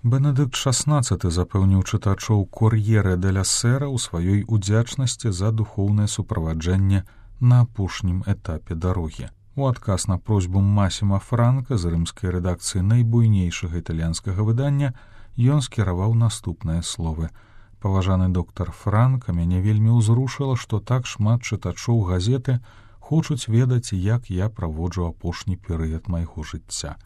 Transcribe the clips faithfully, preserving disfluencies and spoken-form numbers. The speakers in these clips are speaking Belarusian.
Бенедыкт шаснаццаты запэўніў чытачоў «Кор'ере деля Сера» ў сваёй удзячнасці за духоўнае суправаджэнне на апошнім этапе дарогі. У адказ на просьбу Масіма Франка з рымскай рэдакцыі найбуйнейшага італьянскага выдання ён скіраваў наступныя словы. «Паважаны доктар Франк, мяне вельмі ўзрушыла, што так шмат чытачоў газеты хочуць ведаць, як я праводжу апошні перыяд майго жыцця.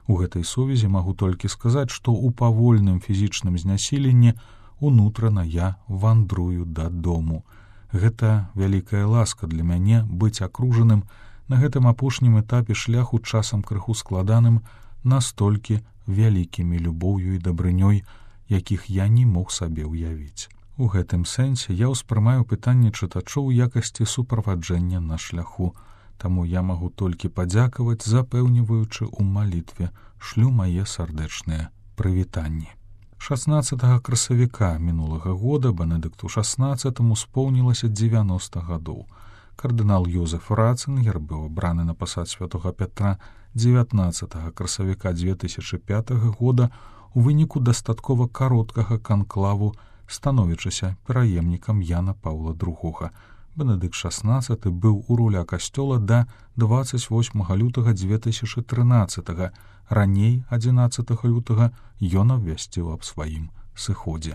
У гэтай сувязі магу толькі сказаць, што ў павольным фізічным знясіленні унутрана я вандрую дадому. Гэта вялікая ласка для мяне быць акружаным на гэтым апошнім этапе шляху часам крыху складаным настолькі вялікімі любоўю і дабрынёй, якіх я не мог сабе ўявіць. У гэтым сэнсе я ўспрымаю пытанне чытачоў у якасці суправаджэння на шляху. Таму я магу толькі падзякаваць, запэўніваючы ў малітве, шлю мае сардэчныя прывітанні». шаснаццатага красавіка мінулага года Бенедыкту шаснаццатаму споўнілася дзевяноста гадоў. Кардынал Йозеф Ратцынгер быў абраны на пасад святога Пятра дзевятнаццатага красавіка дзве тысячы пятага года у выніку дастаткова кароткага канклаву, становячыся пераемнікам Яна Паўла другога. Бенедыкт шаснаццаты быў у руля касцёла да дваццаць восьмага лютага дзве тысячы трынаццатага. Раней адзінаццатага лютага ён абвясціў аб сваім сыходзе.